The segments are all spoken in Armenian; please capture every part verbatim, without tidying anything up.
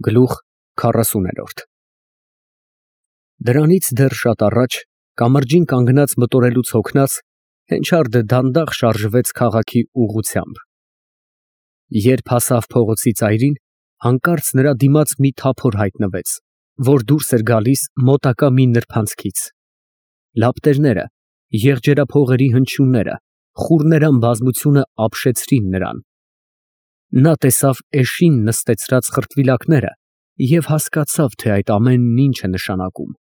Գլուխ քառասուներորդ Դրանից դեռ շատ առաջ, կամրջին կանգնած մտորելուց հոգնած, Հենչարդը դանդաղ շարժվեց քաղաքի ուղղությամբ. երբ հասավ փողոցի ծայրին, հանկարծ նրա դիմաց մի թափոր հայտնվեց, որ դուրս էր գալիս մոտակա մի նրբանցքից. լապտերները, եղջերափողերի հնչյունները, խուռներան բազմությունը ապշեցրին նրան. նա տեսավ էշին նստեցրած խրտվիլակները և հասկացավ, թե այդ ամենն ինչ է նշանակում.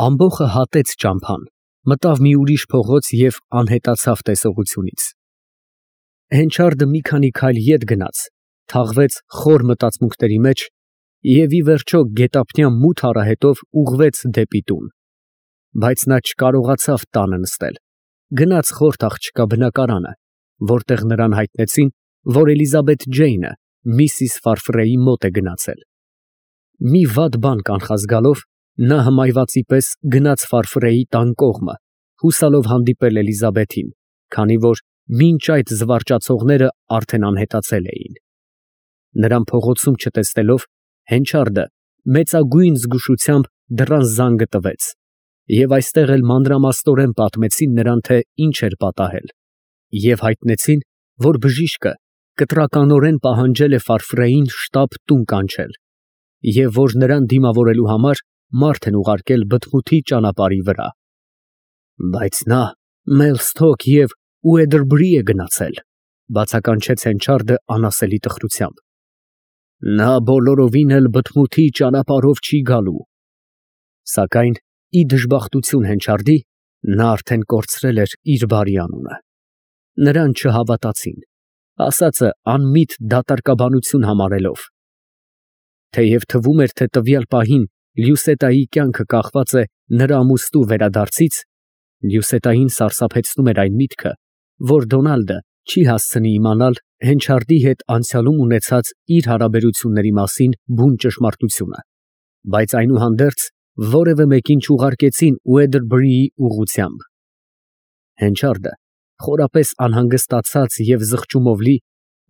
ամբոխը հատեց ճամփան, մտավ մի ուրիշ փողոց և անհետացավ տեսողությունից. Հենչարդը մի քանի քայլ ետ գնաց, թաղվեց խոր մտածմունքների մեջ և ի վերջո գետափնյա մութ արահետով ուղղվեց դեպի տուն. բայց նա չկարողացավ տանը նստել, գնաց խորթ աղջկա բնակարանը, որտեղ նրան հայտնեցին, որ Էլիզաբեթ Ջեյնը միսիս Ֆարֆրեի մոտ է գնացել. մի վատ բան կանխազգալով, նա հմայվածի պես գնաց Ֆարֆրեի տան կողմը, հուսալով հանդիպել Էլիզաբեթին, քանի որ մինչ այդ զվարճացողները արդեն անհետացել էին. նրան փողոցում չտեսնելով, Հենչարդը մեծագույն զգուշությամբ դռան զանգը տվեց, և այստեղ էլ մանրամասնորեն պատմեցին նրան, թե ինչ էր պատահել, և հայտնեցին, որ բժիշկը կտրականորեն պահանջել է Ֆարֆրեին շտապ տուն կանչել, և որ նրան դիմավորելու համար մարդ են ուղարկել բթմութի ճանապարհի վրա. բայց նա Մելսթոք և Ուեդերբրի է գնացել, բացականչեց Հենչարդը անասելի տխրությամբ. նա բոլորովին էլ բթմութի ճանապարհով չի գալու. սակայն ի դժբախտություն Հենչարդի, նա արդեն կորցրել էր իր բարի անունը. նրան չհավատացին, ասածը անմիտ դատարկաբանություն համարելով. թեև թվում էր, թե տվյալ պահին Լյուսետայի կյանքը կախված է նրա ամուսնու վերադարձից, Լյուսետային սարսափեցնում էր այն միտքը, որ Դոնալդը չի հասցնի իմանալ Հենչարդի հետ անցյալում ունեցած իր հարաբերությունների մասին բուն ճշմարտությունը, բայց այնուհանդերձ որևէ մեկին չուղարկեցին Ուեդերբրիի ուղղությամբ. Հենչարդը, խորապես անհանգստացած և զղջումով լի,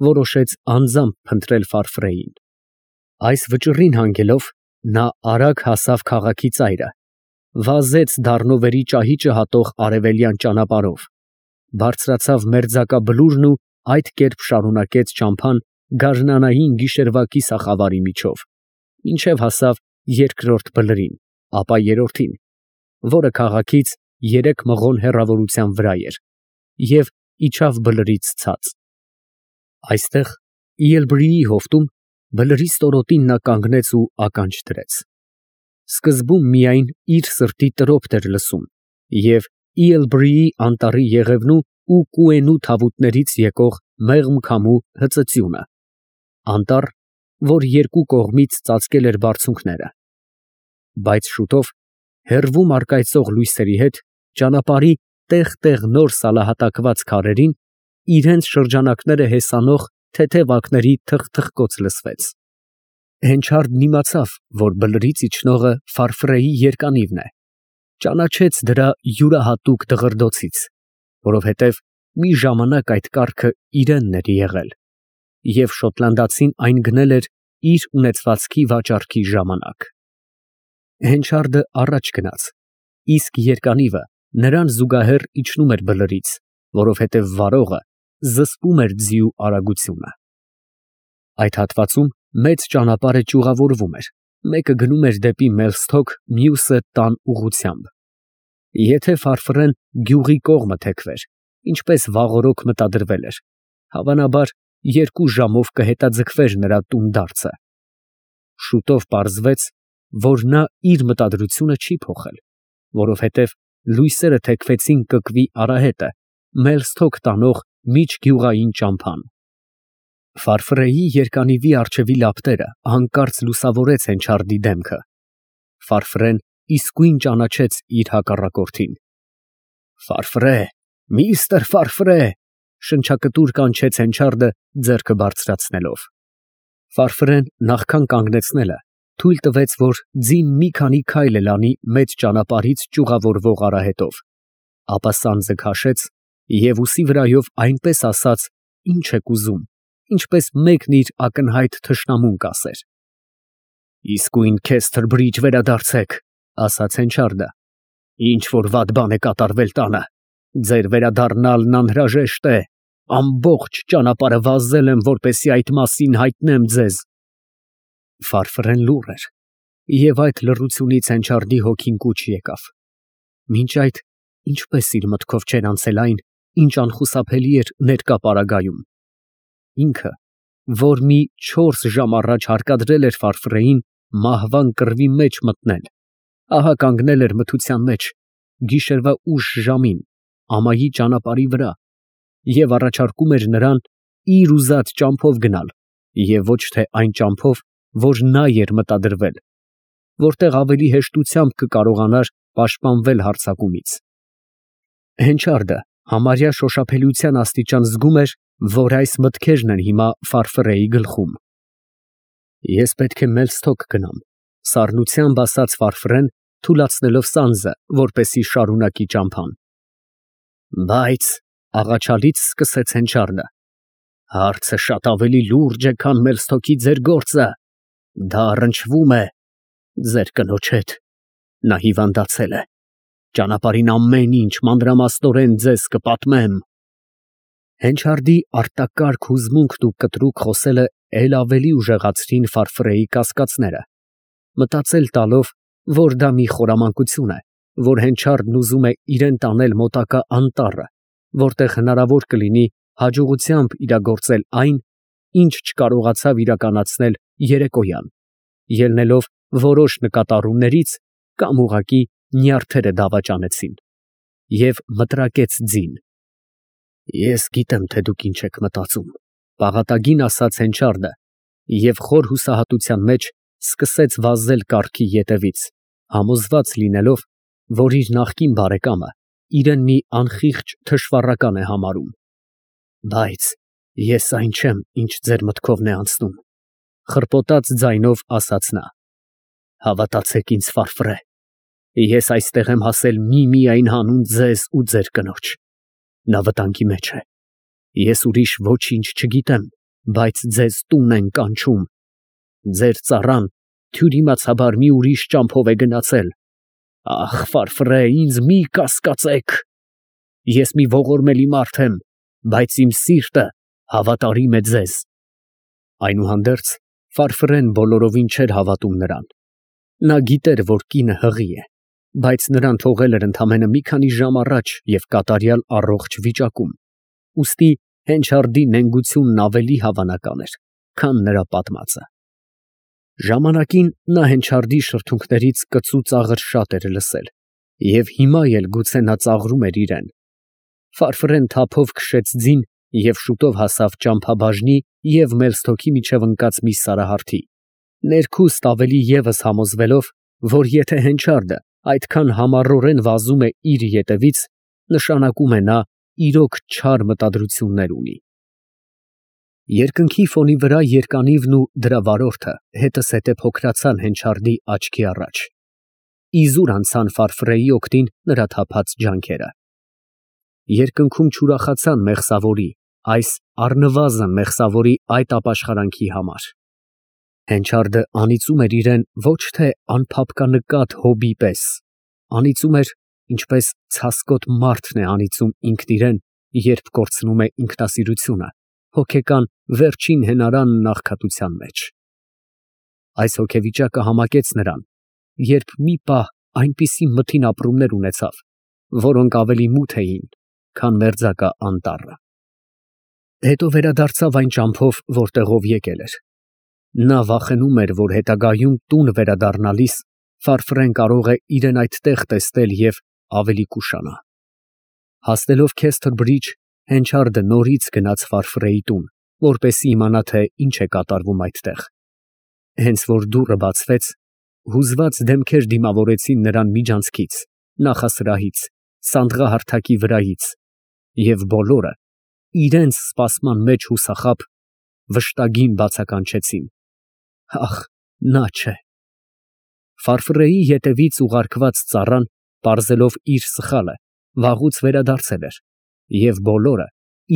որոշեց անձամբ փնտրել Ֆարֆրեին. այս վճռին հանգելով, նա արագ հասավ քաղաքի ծայրը, վազեց դառնովերի ճահիճը հատող արևելյան ճանապարհով, բարձրացավ մերձակա բլուրն ու այդ կերպ շարունակեց ճամփան գարնանային գիշերվա կիսախավարի միջով, մինչև հասավ երկրորդ բլրին, ապա երրորդին, որը քաղաքից երեք մղոն հեռավորության վրա էր, և իջավ բլրից ցած. այստեղ Իելբրիի հովտում բլրի ստորոտին նա կանգնեց ու ականջ դրեց. սկզբում միայն իր սրտի տրոփն էր լսում և Իելբրիի անտառի եղևնու ու կուենու թավուտներից եկող մեղմ քամու հծծյունը, անտառ, որ երկու կողմից ծածկել էր բարձունքները, բայց շուտով, հեռվում առկայծող լույսերի հետ, ճանապարհի տեղ֊տեղ նոր սալահատակված քարերին իրենց շրջանակները հեսանող թեթև ակների թխթխկոց լսվեց. Հենչարդն իմացավ, որ բլրից իջնողը Ֆարֆրեի երկանիվն է, ճանաչեց դրա յուրահատուկ դղրդոցից, որովհետև մի ժամանակ այդ կառքը իրենն էր եղել, և շոտլանդացին այն գնել էր իր ունեցվածքի վաճառքի ժամանակ. Հենչարդը առաջ գնաց, իսկ երկանիվը նրան զուգահեռ իջնում էր բլրից, որովհետև վարողը զսպում էր ձիու արագությունը։ Այդ հատվածում մեծ ճանապարհը ճյուղավորվում էր, մեկը գնում էր դեպի Մելսթոք, մյուսը տան ուղղությամբ. եթե Ֆարֆրեն գյուղի կողմը թեքվեր, ինչպես վաղօրոք մտադրվել էր, հավանաբար երկու ժամով կհետաձգվեր նրա տունդարձը։ Շուտով պարզվեց, որ նա իր մտադրությունը չի փոխել, որովհետև լույսերը թեքվեցին կկվի արահետը, Մելսթոք տանող միջգյուղային ճամփան։ Ֆարֆրեի երկանիվի առջևի լապտերը հանկարծ լուսավորեց Հենչարդի դեմքը. Ֆարֆրեն իսկույն ճանաչեց իր հակառակորդին։ Ֆարֆրե, միստր Ֆարֆրե, շնչակտուր կանչեց Հենչարդը ձեռքը բարձրացնելով։ Ֆարֆրեն նախքան կանգնեցնելը թույլ տվեց, որ ձին մի քանի քայլ էլ անի մեծ ճանապարհից ճյուղավորվող արահետով, ապա սանձը քաշեց և ուսի վրայով այնպես ասաց. «Ի՞նչ եք ուզում», ինչպես մեկն իր ակնհայտ թշնամուն կասեր։ Իսկույն Քեսթր Բրիջ վերադարձեք, ասաց Հենչարդը։ Ինչ որ վատ բան է կատարվել տանը, ձեր վերադառնալն անհրաժեշտ է, ամբողջ ճանապարհը վազել եմ, որպեսզի այդ մասին հայտնեմ ձեզ։ Ֆարֆրեն լուռ էր, և այդ լռությունից Հենչարդի հոգին կուչ եկավ։ Մինչ այդ ինչպես իր մտքով չէր անցել այն, ինչ անխուսափելի էր ներկա պարագայում։ Ինքը, որ մի չորս ժամ առաջ հարկադրել էր Ֆարֆրեին մահվան կռվի մեջ մտնել, ահա կանգնել էր մթության մեջ, գիշերվա ուշ ժամին, ամայի ճանապարհի վրա, և առաջարկում էր նրան իր ուզած ճամփով գնալ, և ոչ թե այն ճամփով, որ նա էր մտադրվել, որտեղ ավելի հեշտությամբ կկարողանար պաշտպանվել հարձակումից։ Հենչարդը համարյա շոշափելիության աստիճան զգում էր, որ այս մտքերն են հիմա Ֆարֆրեի գլխում։ Ես պետք է Մելսթոք գնամ, սառնությամբ ասաց Ֆարֆրեն, թուլացնելով սանձը, որպեսզի շարունակի ճամփան։ Բայց աղաչալից սկսեց Հենչարդը. հարցը շատ ավելի լուրջ է, քան Մելսթոքի ձեր գործը, դա առնչվում է ձեր կնոջ հետ, նա հիվանդացել է, ճանապարհին ամեն ինչ մանրամասնորեն ձեզ կպատմեմ։ Հենչարդի արտակարգ հուզմունքն ու կտրուկ խոսելը էլ ավելի ուժեղացրին Ֆարֆրեի կասկածները, մտածել տալով, որ դա մի խորամանկություն է, որ Հենչարդն ուզում է իրեն տանել մոտակա անտառը, որտեղ հնարավոր կլինի հաջողությամբ իրագործել այն, ինչ չկարողացավ իրականացնել երեկոյան, ելնելով որոշ նկատառումներից կամ ուղղակի նյարդերը դավաճանեցին, և մտրակեց ձին։ Ես գիտեմ, թե դուք ինչ եք մտածում, պաղատագին ասաց Հենչարդը, և խոր հուսահատության մեջ սկսեց վազել կառքի ետևից, համոզված լինելով, որ իր նախկին բարեկամը իրեն մի անխիղճ թշվառական է համարում։ Բայց ես այն չեմ, ինչ ձեր մտքովն է անցնում, խռպոտած ձայնով ասաց նա։ Հավատացեք ինձ, Ֆարֆրե, ես այստեղ եմ հասել միմիայն հանուն ձեզ ու ձեր կնոջ, նա վտանգի մեջ է, ես ուրիշ ոչինչ չգիտեմ, բայց ձեզ տուն են կանչում, ձեր ծառան թյուրիմացաբար մի ուրիշ ճամփով է գնացել, ախ, Ֆարֆրե, ինձ մի կասկածեք, ես մի ողորմելի մարդ եմ, բայց իմ սիրտը հավատարիմ է ձեզ։ Այնուհանդերձ Ֆարֆրեն բոլորովին չէր հավատում նրան, նա գիտեր, որ կինը հղի է, բայց նրան թողել էր ընդամենը մի քանի ժամ առաջ և կատարյալ առողջ վիճակում, ուստի Հենչարդի նենգությունն ավելի հավանական էր, քան նրա պատմածը։ Ժամանակին նա Հենչարդի շրթունքներից կծու ծաղր շատ էր լսել, և հիմա էլ գուցե նա ծաղրում էր իրեն։ Ֆարֆրեն թափով քշեց ձին և շուտով հասավ ճամփաբաժնի և Մելսթոքի միջև ընկած մի սարահարթի, ներքուստ ավելի ևս համոզվելով, որ եթե Հենչարդը այդքան համառորեն վազում է իր ետևից, նշանակում է նա իրոք չար մտադրություններ ունի։ Երկնքի ֆոնի վրա երկանիվն ու դրա վարորդը հետզհետե փոքրացան Հենչարդի աչքի առաջ, իզուր անցան Ֆարֆրեի օգտին նրա թափած ջանքերը։ Երկնքում չուրախացան մեղսավորի, այս առնվազն մեղսավորի այդ ապաշխարանքի համար։ Հենչարդը անիծում էր իրեն ոչ թե անփափկանկատ հոբի պես, անիծում էր, ինչպես ցասկոտ մարդն է անիծում ինքն իրեն, երբ կորցնում է ինքնասիրությունը, հոգեկան վերջին հենարանն աղքատության մեջ։ Այս հոգեվիճակը համակեց նրան, երբ մի պահ այնպիսի մթին ապրումներ ունեցավ, որոնք ավելի մութ էին, քան մերձակա անտառը։ Հետո վերադարձավ այն ճամփով, որտեղով եկել էր։ Նա վախենում էր, որ հետագայում տուն վերադառնալիս Ֆարֆրեն կարող է իրեն այդտեղ տեսնել և ավելի կուշանա։ Հասնելով Քեսթր Բրիջ, Հենչարդը նորից գնաց Ֆարֆրեի տուն, որպեսզի իմանա, թե ինչ է կատարվում այդտեղ։ Հենց որ դուռը բացվեց, հուզված դեմքեր դիմավորեցին նրան միջանցքից, նախասրահից, սանդղահարթակի վրայից, և բոլորը, իրենց սպասման մեջ հուսախաբ, վշտագին բացականչեցին. ախ, նա չէ։ Ֆարֆրեի ետևից ուղարկված ծառան, պարզելով իր սխալը, վաղուց վերադարձել էր, և բոլորը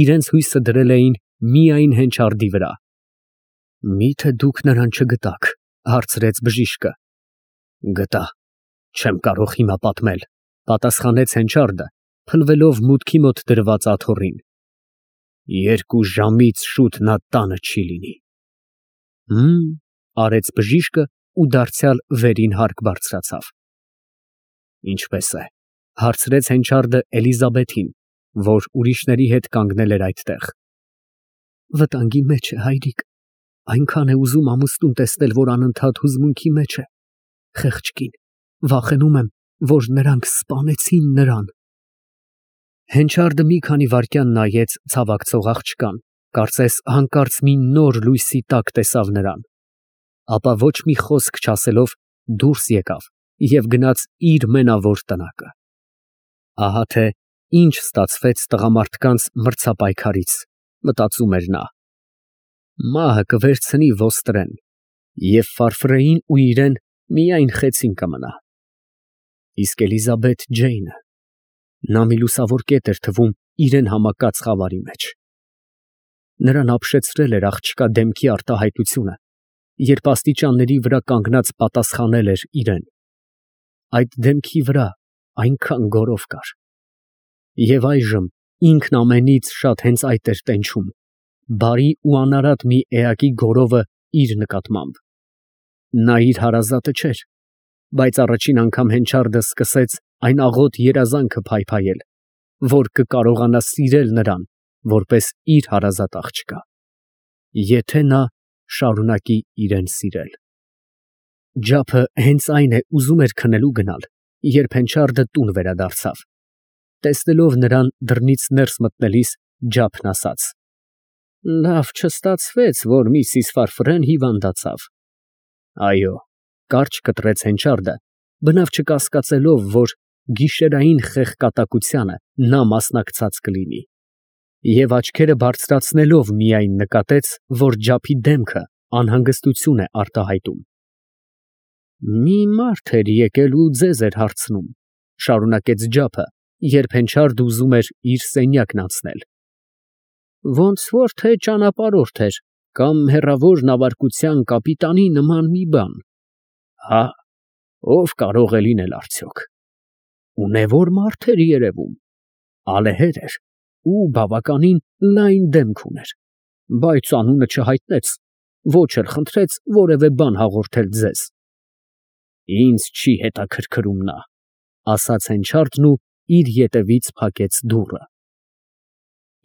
իրենց հույսը դրել էին միայն Հենչարդի վրա։ Մի՞թե դուք նրան չգտաք, Հարցրեց բժիշկը։ Գտա, չեմ կարող հիմա պատմել, պատասխանեց Հենչարդը, փնվելով մուտքի մոտ դրված աթոռին։ Երկու ժամից շուտ նա տանը չի լինի։ Հմ, արեց բժիշկը ու դարձյալ վերին հարկ բարձրացավ։ Ինչպես է, հարցրեց Հենչարդը Էլիզաբեթին, որ ուրիշների հետ կանգնել էր այդտեղ։ Վտանգի մեջ է, հայրիկ, այնքան է ուզում ամուսնուն տեսնել, որ անընդհատ հուզմունքի մեջ է։ Խեղճ կին, վախենում եմ, որ նրանք սպանեցին նրան։ Հենչարդը մի քանի վայրկյան նայեց ցավակցող աղջկան, կարծես հանկարծ մի նոր լույսի տակ տեսավ նրան, ապա ոչ մի խոսք չասելով դուրս եկավ և գնաց իր մենավոր տնակը։ Ահա թե ինչ ստացվեց տղամարդկանց մրցապայքարից, մտածում էր նա։ Մահը կվերցնի ոստրեն, և Ֆարֆրեին ու իրեն միայն խեցին կմնա։ Իսկ Էլիզաբեթ Ջեյնը, նա մի լուսավոր կետ էր թվում իրեն համակած խավարի մեջ։ Նրան ապշեցրել էր աղջկա դեմքի արտահայտությունը, երբ աստիճանների վրա կանգնած պատասխանել էր իրեն։ Այդ դեմքի վրա այնքան գորով կար։ Եվ այժմ ինքն ամենից շատ հենց այդ էր տենչում, բարի ու անարատ մի էակի գորովը իր նկատմամբ։ Նա իր հարազատը չէր, բայց առաջին անգամ Հենչարդը սկսեց այն աղոտ երազանքը փայփայել, որ կկարողանա սիրել նրան, որպես իր հարազատ աղջկա, եթե նա շարունակի իրեն սիրել։ Ջափը հենց այն է ուզում էր քնելու գնալ, երբ Հենչարդը տուն վերադարձավ։ Տեսնելով նրան դռնից ներս մտնելիս, Ջափն ասաց. Լավ չստացվեց, որ միսիս Ֆարֆրեն հիվանդացավ։ Այո, կարճ կտրեց Հենչարդը, բնավ չկասկածելով, որ գիշերային խեղկատակությանը նա մասնակցած կլինի, և աչքերը բարձրացնելով միայն նկատեց, որ Ջափի դեմքը անհանգստություն է արտահայտում։ Մի մարդ էր եկել ու ձեզ էր հարցնում, շարունակեց Ջափը, երբ Հենչարդը ուզում էր իր սենյակն անցնել։ Ոնց որ թե ճանապարհորդ էր կամ հեռավոր նավարկության կապիտանի նման մի բան։ Հա, ով կարող է լինել արդյոք։ Ունևոր մարդ էր երևում, ալեհեր էր ու բավականին լայն դեմք ուներ, բայց անունը չհայտնեց, ոչ էլ խնդրեց որևէ բան հաղորդել ձեզ։ Ինձ չի հետաքրքրում նա, ասաց Հենչարդն ու իր ետևից փակեց դուռը։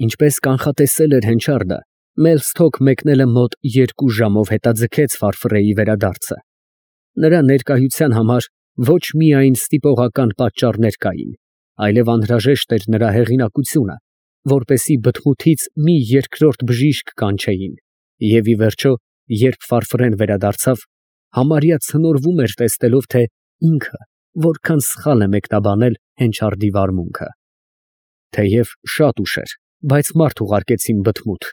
Ինչպես կանխատեսել էր Հենչարդը, Մելսթոք մեկնելը մոտ երկու ժամով հետաձգեց Ֆարֆրեի վերադարձը։ Նրա ներկայության համար ոչ միայն ստիպողական պատճառներ կային, այլև անհրաժեշտ էր նրա հեղինակությունը, որպեսզի բթմութից մի երկրորդ բժիշկ կանչեին, և ի վերջո, երբ Ֆարֆրեն վերադարձավ, համարյա ցնորվում էր տեսնելով, թե ինքը որքան սխալ է մեկնաբանել Հենչարդի վարմունքը։ Թեև շատ ուշ էր, բայց մարդ ուղարկեցին բթմութ։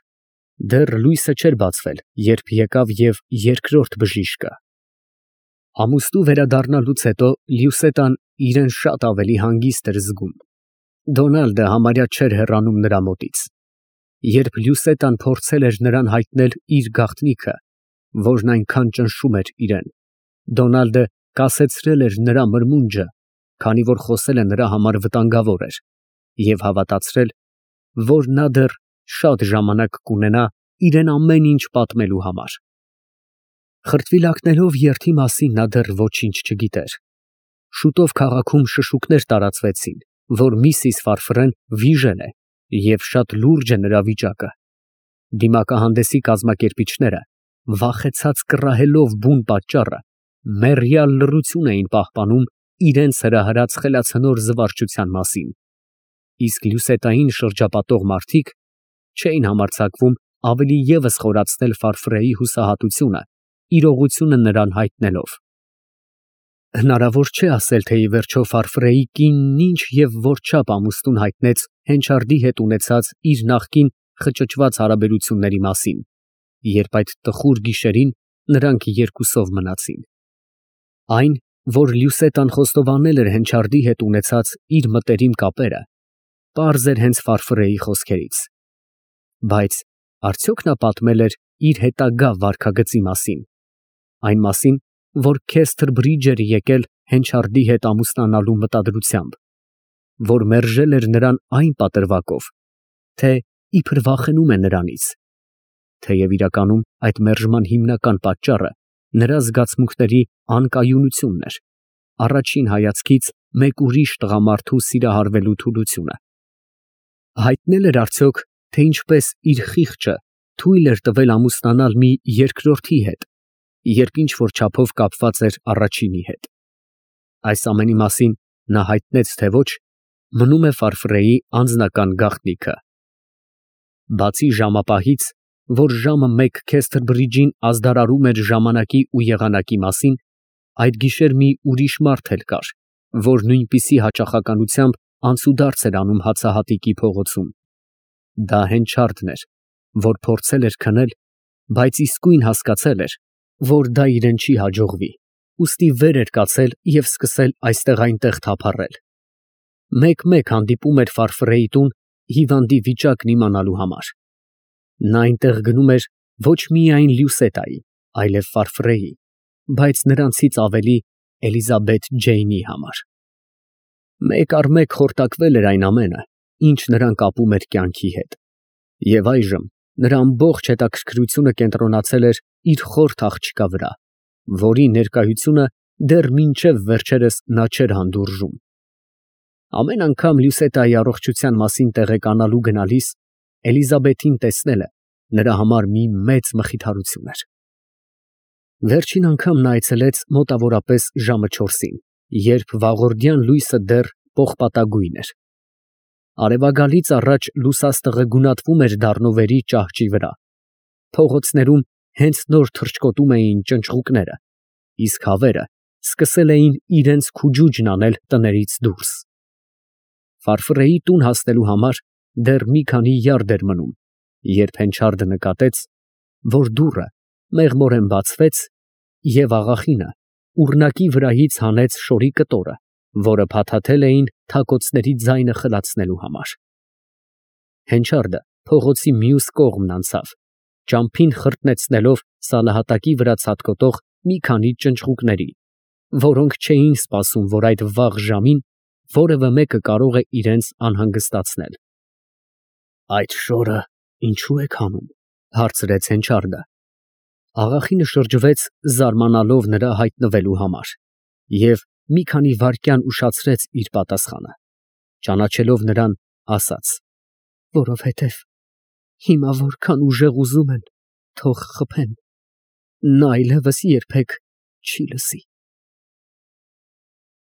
Դեռ լույսը չէր բացվել, երբ եկավ և երկրորդ բժիշկը։ Ամուսնու վերադառնալուց հետո Լյուսետան իրեն շատ ավելի հանգիստ էր զգում։ Դոնալդը համարյա չէր հեռանում նրա մոտից։ Երբ Լյուսետան փորձել էր նրան հայտնել իր գաղտնիքը, որն այնքան ճնշում էր իրեն, Դոնալդը կասեցրել էր նրա մրմունջը, քանի որ խոսելը նրա համար վտանգավոր էր, և հավատացրել, որ նա դեռ շատ ժամանակ կունենա իրեն ամեն ինչ պատմելու համար։ Խրտվիլակներով երթի մասին նա դեռ ոչինչ չգիտեր։ Շուտով քաղաքում շշուկներ տարածվեցին, որ միսիս Ֆարֆրեն վիժել է և շատ լուրջ է նրա վիճակը։ Դիմակահանդեսի կազմակերպիչները, վախեցած կռահելով բուն պատճառը, մեռյալ լռություն էին պահպանում իրենց հրահրած խելացնոր զվարճության մասին, իսկ Լյուսետային շրջապատող մարդիկ չէին համարձակվում ավելի ևս խորացնել Ֆարֆրեի հուսահատությունը, իրողությունը նրան հայտնելով։ Հնարավոր չէ ասել, թե ի վերջո Ֆարֆրեի կինն ինչ և որչափ ամուսնուն հայտնեց Հենչարդի հետ ունեցած իր նախկին խճճված հարաբերությունների մասին, երբ այդ տխուր գիշերին նրանք երկուսով մնացին։ Այն, որ Լյուսետան խոստովանել էր Հենչարդի հետ ունեցած իր մտերիմ կապերը, պարզ էր հենց Ֆարֆրեի խոսքերից։ Բայց արդյոք նա պատմել էր իր հետագա վարքագծի մասին։ այն մասին, որ Քեսթր Բրիջ էր եկել Հենչարդի հետ ամուսնանալու մտադրությամբ, որ մերժել էր նրան այն պատրվակով, թե իբր վախենում է նրանից, թեև իրականում այդ մերժման հիմնական պատճառը նրա զգացմունքների անկայունությունն էր, առաջին հայացքից մեկ ուրիշ տղամարդու սիրահարվելու թուլությունը։ Հայտնել էր արդյոք, թե ինչպես իր խիղճը թույլ էր տվել ամուսնանալ մի երկրորդի հետ, երբ ինչ-որ չափով կապված էր առաջինի հետ։ Այս ամենի մասին նա հայտնեց, թե ոչ, մնում է Ֆարֆրեի անձնական գաղտնիքը։ Բացի ժամապահից, որ ժամը մեկ Քեսթր Բրիջին ազդարարում էր ժամանակի ու եղանակի մասին, այդ գիշեր մի ուրիշ մարդ էլ կար, որ նույնպիսի հաճախականությամբ անցուդարձ էր անում հացահատիկի փողոցում։ Դա Հենչարդն էր, որ փորձել էր քնել, բայց իսկույն հասկացել էր, որ դա իրան չի հաջողվի, ուստի վեր էր կացել և սկսել այստեղ֊այնտեղ թափառել։ Մեկ֊մեկ հանդիպում էր Ֆարֆրեի տուն հիվանդի վիճակն իմանալու համար։ Նա այնտեղ գնում էր ոչ միայն Լյուսետայի, այլև Ֆարֆրեի, բայց նրանցից ավելի Էլիզաբեթ Ջեյնի համար։ Մեկ առ մեկ խորտակվել էր այն ամենը, ինչ նրան կապում էր կյանքի հետ, և այժմ նրա ամբողջ հետաքրքրությունը կենտրոնացել էր իր խորթ աղջկա վրա, որի ներկայությունը դեռ մինչև վերջերս նա չէր հանդուրժում։ Ամեն անգամ Լյուսետայի առողջության մասին տեղեկանալու գնալիս Էլիզաբեթին տեսնելը նրա համար մի մեծ մխիթարություն էր։ Վերջին անգամ նա այցելեց մոտավորապես ժամը չորսին, երբ վաղորդյան լույսը դեռ պողպատագույն էր։ Արևագալից առաջ լուսաստղը գունատվում էր դառնովերի ճահճի վրա, փողոցներում հենց նոր թռչկոտում էին ճնճղուկները, իսկ հավերը սկսել էին իրենց քուջուջն անել տներից դուրս։ Ֆարֆրեի տուն հասնելու համար դեռ մի քանի յարդ էր մնում, երբ Հենչարդը նկատեց, որ դուռը մեղմորեն բացվեց, և աղախինը ուռնակի վրայից հանեց շորի կտորը, որը փաթաթել էին թակոցների ձայնը խլացնելու համար։ Հենչարդը փողոցի մյուս կողմն անցավ, ճամփին խրտնեցնելով սալահատակի վրա ցատկոտող մի քանի ճնճղուկների, որոնք չէին սպասում, որ այդ վաղ ժամին որևէ մեկը կարող է իրենց անհանգստացնել։ ֊ Այդ շորը ինչո՞ւ եք հանում, ֊ հարցրեց Հենչարդը։ Աղախինը շրջվեց, զարմանալով նրա հայտնվելու համար, և մի քանի վայրկյան ուշացրեց իր պատասխանը, ճանաչելով նրան, ասաց. որովհետև հիմա որքան ուժեղ ուզում են, թող խփեն, նա այլևս երբեք չի լսի։